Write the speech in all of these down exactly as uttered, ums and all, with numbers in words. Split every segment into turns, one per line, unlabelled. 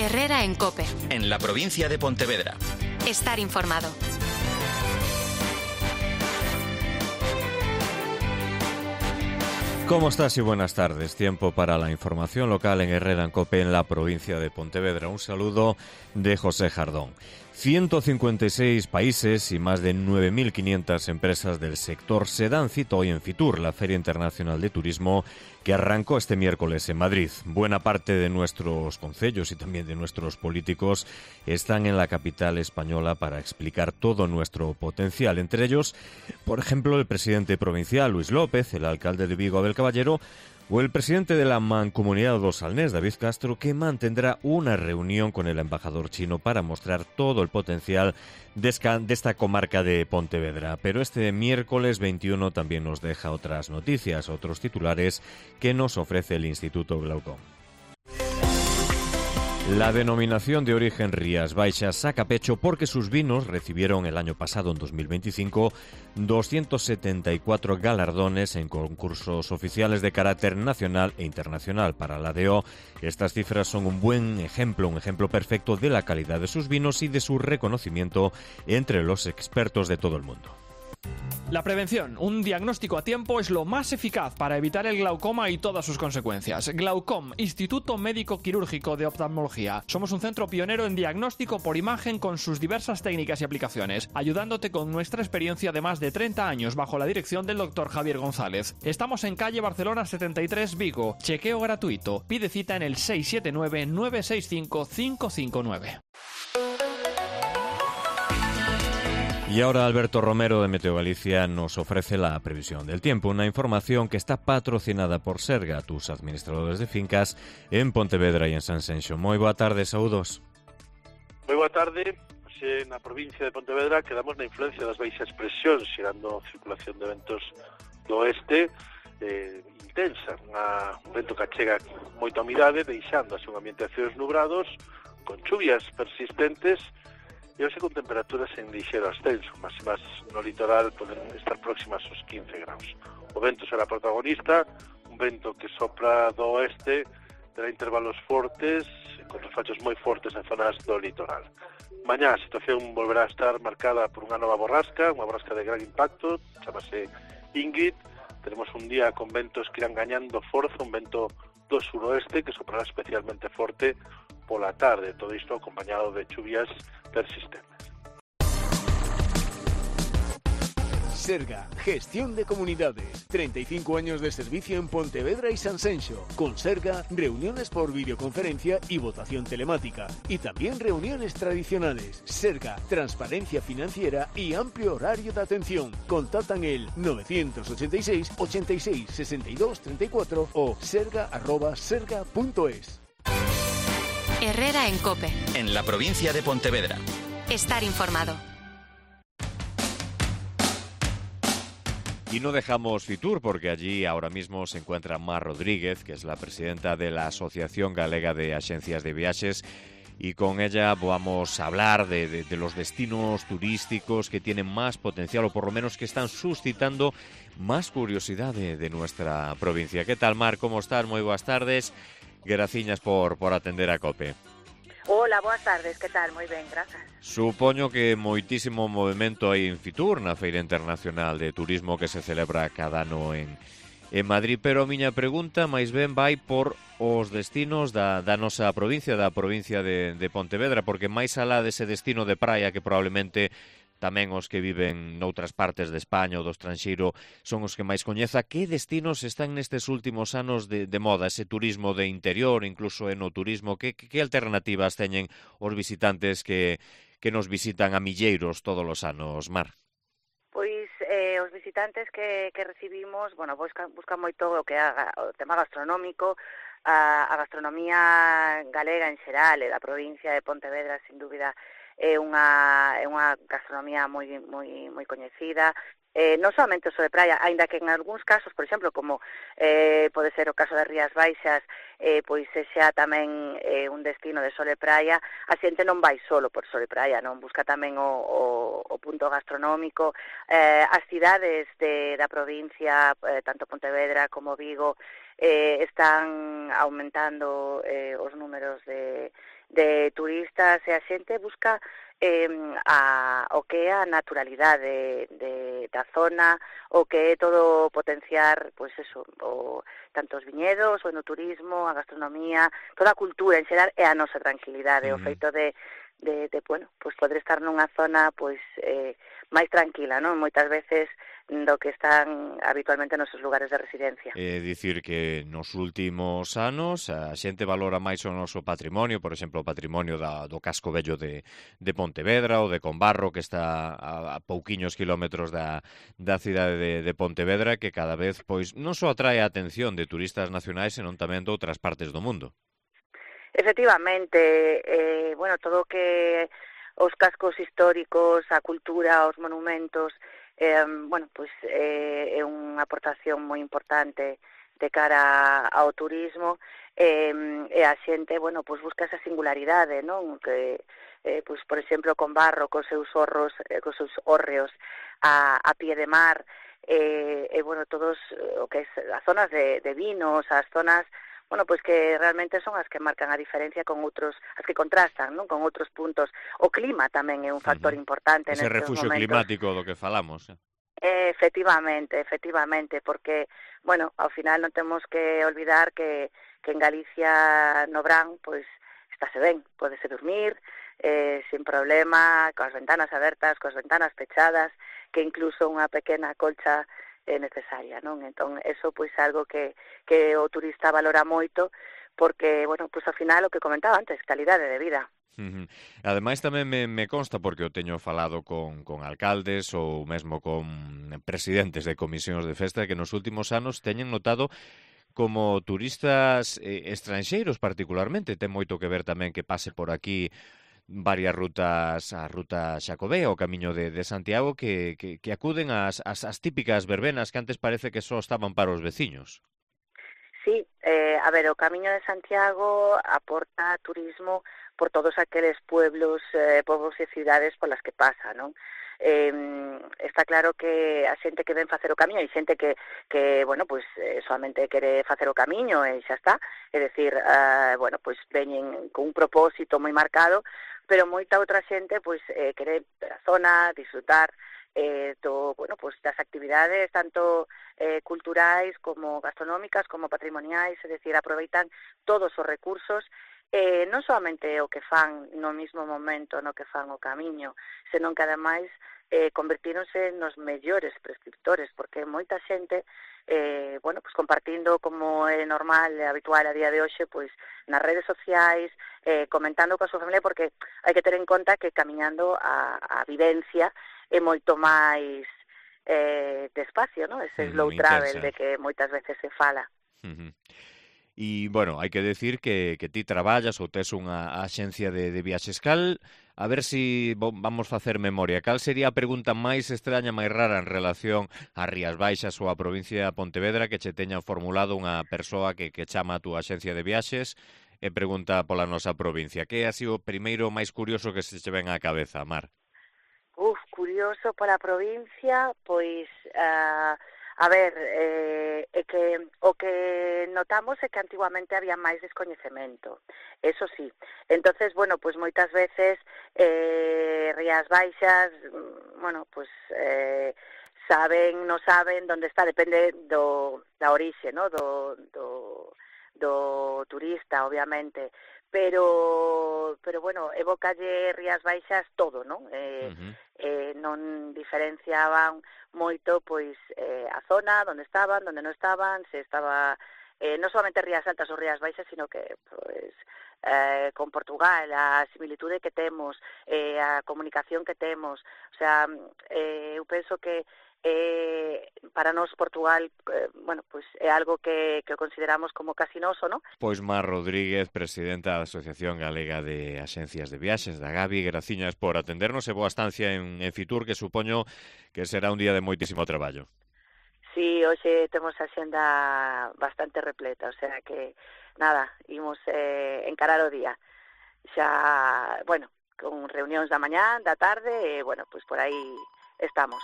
Herrera en COPE.
En la provincia de Pontevedra.
Estar informado.
¿Cómo estás y buenas tardes? Tiempo para la información local en Herrera en COPE en la provincia de Pontevedra. Un saludo de José Jardón. ciento cincuenta y seis países y más de nueve mil quinientas empresas del sector se dan cita hoy en Fitur, la Feria Internacional de Turismo que arrancó este miércoles en Madrid. Buena parte de nuestros concellos y también de nuestros políticos están en la capital española para explicar todo nuestro potencial. Entre ellos, por ejemplo, el presidente provincial Luis López, el alcalde de Vigo Abel Caballero, o el presidente de la Mancomunidad do Salnés, David Castro, que mantendrá una reunión con el embajador chino para mostrar todo el potencial de esta comarca de Pontevedra. Pero este miércoles veintiuno también nos deja otras noticias, otros titulares que nos ofrece el Instituto Glaucom. La denominación de origen Rías Baixas saca pecho porque sus vinos recibieron el año pasado, en dos mil veinticinco, doscientos setenta y cuatro galardones en concursos oficiales de carácter nacional e internacional. Para la D O, estas cifras son un buen ejemplo, un ejemplo perfecto de la calidad de sus vinos y de su reconocimiento entre los expertos de todo el mundo.
La prevención, un diagnóstico a tiempo, es lo más eficaz para evitar el glaucoma y todas sus consecuencias. Glaucom, Instituto Médico Quirúrgico de Oftalmología. Somos un centro pionero en diagnóstico por imagen con sus diversas técnicas y aplicaciones, ayudándote con nuestra experiencia de más de treinta años bajo la dirección del doctor Javier González. Estamos en calle Barcelona setenta y tres, Vigo. Chequeo gratuito. Pide cita en el seis siete nueve, nueve seis cinco, cinco cinco nueve.
Y ahora Alberto Romero de Meteo Galicia nos ofrece la previsión del tiempo, una información que está patrocinada por Serga, tus administradores de fincas en Pontevedra y en Sanxenxo. Moi boa tarde, saúdos.
Moi boa tarde. Hoxe na provincia de Pontevedra quedamos na influencia das baixas presións, xerando circulación de ventos do oeste eh, intensa, unha, un vento que achega moita humidade, deixando así un ambiente de cielos nubrados, con chuvias persistentes, e hoxe con temperaturas en lixeiro ascenso, máximas no litoral poden estar próximas aos quince graus. O vento será protagonista, un vento que sopra do oeste, terá intervalos fortes, con refachos moi fortes en zonas do litoral. Mañá a situación volverá a estar marcada por unha nova borrasca, unha borrasca de gran impacto, chamase Ingrid. Tenemos un día con ventos que irán gañando forza, un vento do suroeste que soprará especialmente forte pola tarde, todo isto acompañado de chuvias persistentes.
Serga, gestión de comunidades. treinta y cinco años de servicio en Pontevedra y Sanxenxo. Con Serga, reuniones por videoconferencia y votación telemática. Y también reuniones tradicionales. Serga, transparencia financiera y amplio horario de atención. Contactan el novecientos ochenta y seis, ochenta y seis, sesenta y dos, treinta y cuatro o serga arroba serga punto es.
Herrera en COPE.
En la provincia de Pontevedra.
Estar informado.
Y no dejamos Fitur porque allí ahora mismo se encuentra Mar Rodríguez, que es la presidenta de la Asociación Galega de Axencias de Viajes, y con ella vamos a hablar de, de, de los destinos turísticos que tienen más potencial, o por lo menos que están suscitando más curiosidad de, de nuestra provincia. ¿Qué tal, Mar? ¿Cómo estás? Muy buenas tardes. Graciñas por, por atender a COPE.
Hola, boas tardes, que tal? Moi ben, grazas.
Supoño que moitísimo movimento aí en Fitur, na Feira Internacional de Turismo que se celebra cada ano en, en Madrid, pero a miña pregunta máis ben vai por os destinos da, da nosa provincia, da provincia de, de Pontevedra, porque máis alá dese destino de praia que probablemente tamén os que viven noutras partes de España ou do estranxeiro son os que máis coñeza. Que destinos están nestes últimos anos de, de moda? Ese turismo de interior, incluso enoturismo, que, que, que alternativas teñen os visitantes que, que nos visitan a milleiros todos os anos, Mar?
Pois eh, os visitantes que, que recibimos, bueno, buscan, buscan moito o que haga o tema gastronómico, a, a gastronomía galega en xeral e da provincia de Pontevedra, sin dúbida, é unha, é unha gastronomía moi, moi, moi coñecida, eh, non somente o de praia, aínda que en algúns casos, por exemplo, como eh, pode ser o caso das Rías Baixas, eh, pois sexa tamén eh, un destino de sol e praia, a xente non vai solo por sol e praia, non busca tamén o, o, o punto gastronómico. Eh, as cidades de, da provincia, eh, tanto Pontevedra como Vigo, eh, están aumentando eh, os números de de turistas e a xente busca eh, a, o que é a naturalidade de, da zona, o que é todo potenciar, pois eso, o, tanto os viñedos, o enoturismo, a gastronomía, toda a cultura en xeral e a nosa tranquilidade, uh-huh. o feito de, de, de bueno, pois poder estar nunha zona pois eh, máis tranquila, non? Moitas veces do que están habitualmente nos seus lugares de residencia.
É dicir que nos últimos anos a xente valora máis o noso patrimonio, por exemplo, o patrimonio da, do casco vello de, de Pontevedra ou de Combarro, que está a, a pouquiños kilómetros da, da cidade de, de Pontevedra, que cada vez pois non só atrae a atención de turistas nacionais, senón tamén de outras partes do mundo.
Efectivamente, eh, bueno, todo o que os cascos históricos, a cultura, os monumentos, eh, bueno, pois eh, é unha aportación moi importante de cara ao turismo, eh, e a xente, bueno, pois busca esa singularidade, non? Que, eh, pois, por exemplo, Combarro, cos seus horros, eh, cos seus hórreos a, a pie de mar, e, eh, eh, bueno, todos o que é as zonas de, de vinos, as zonas, bueno, pois que realmente son as que marcan a diferencia con outros, as que contrastan, non? Con outros puntos. O clima tamén é un factor uh-huh. importante
nestes momentos. Ese refugio climático do que falamos.
Eh, efectivamente, efectivamente, porque, bueno, ao final non temos que olvidar que, que en Galicia, no Brán, pois, estáse ben, pódese dormir, eh, sin problema, coas ventanas abertas, coas ventanas pechadas, que incluso unha pequena colcha é necesaria, non? Entón, eso pois algo que, que o turista valora moito, porque, bueno, pois ao final o que comentaba antes, calidade de vida.
Uh-huh. Ademais tamén me, me consta, porque o teño falado con, con alcaldes ou mesmo con presidentes de comisións de festa, que nos últimos anos teñen notado como turistas eh, estranxeiros particularmente, ten moito que ver tamén que pase por aquí varias rutas, a ruta Xacobea, o camiño de, de Santiago, que, que, que acuden ás, ás, ás típicas verbenas que antes parece que só estaban para os veciños.
Sí, eh, a ver, o camiño de Santiago aporta turismo por todos aqueles pueblos, eh, povos e cidades polas que pasa, non? Eh, está claro que a xente que ven facer o camiño, e xente que, que bueno, pois eh, solamente quere facer o camiño e xa está, é dicir, uh, bueno, pois veñen con un propósito moi marcado, pero moita outra xente pois eh, quere ver a zona, disfrutar eh, do, bueno, pois das actividades tanto eh, culturais como gastronómicas como patrimoniais, é dicir, aproveitan todos os recursos, eh, non solamente o que fan no mismo momento no que fan o camiño, senón que ademais eh, convertíronse nos mellores prescriptores, porque moita xente, eh, bueno, pues compartindo como é normal e habitual a día de hoxe, pois nas redes sociais, eh, comentando coa súa familia, porque hai que ter en conta que camiñando a, a vivencia é moito máis eh, despacio, ¿no? Ese slow mm, travel de que moitas veces se fala.
Uh-huh. E, bueno, hai que decir que, que ti traballas ou tes unha axencia de, de viaxes. Cal, a ver si vamos facer memoria, cal sería a pregunta máis extraña, máis rara en relación ás Rías Baixas ou a provincia de Pontevedra que che teña formulado unha persoa que, que chama a túa axencia de viaxes e pregunta pola nosa provincia? Que é así o primeiro máis curioso que se che ven á cabeza, Mar?
Uf, curioso pola provincia, pois... Uh... A ver, eh, é que o que notamos é que antiguamente había máis descoñecemento, eso sí. Entonces, bueno, pues moitas veces eh, Rías Baixas, bueno, pues eh, saben, non saben onde está, depende do, da orixe, ¿no? do, do, do turista, obviamente. Pero, pero bueno, evocalle Rías Baixas todo, non? Eh, uh-huh. eh, non diferenciaban moito, pois, eh, a zona, onde estaban, onde non estaban, se estaba, eh, non solamente Rías Altas ou Rías Baixas, sino que, pois, eh, con Portugal, a similitude que temos, eh, a comunicación que temos, o sea, eh, eu penso que Eh, para nós Portugal, eh, bueno, pues é algo que, que consideramos como casi noso, ¿no?
Pois Mar Rodríguez, presidenta da Asociación Galega de Axencias de Viaxes, da Gavi, graciñas por atendernos e boa estancia en, en Fitur, que supoño que será un día de moitísimo traballo.
Sí, hoxe temos a xenda bastante repleta, o sea que, nada, imos eh, encarar o día. Xa, bueno, con reunións da mañá, da tarde, e, bueno, pues por aí estamos.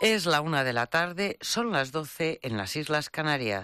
Es la una de la tarde, son las doce en las Islas Canarias.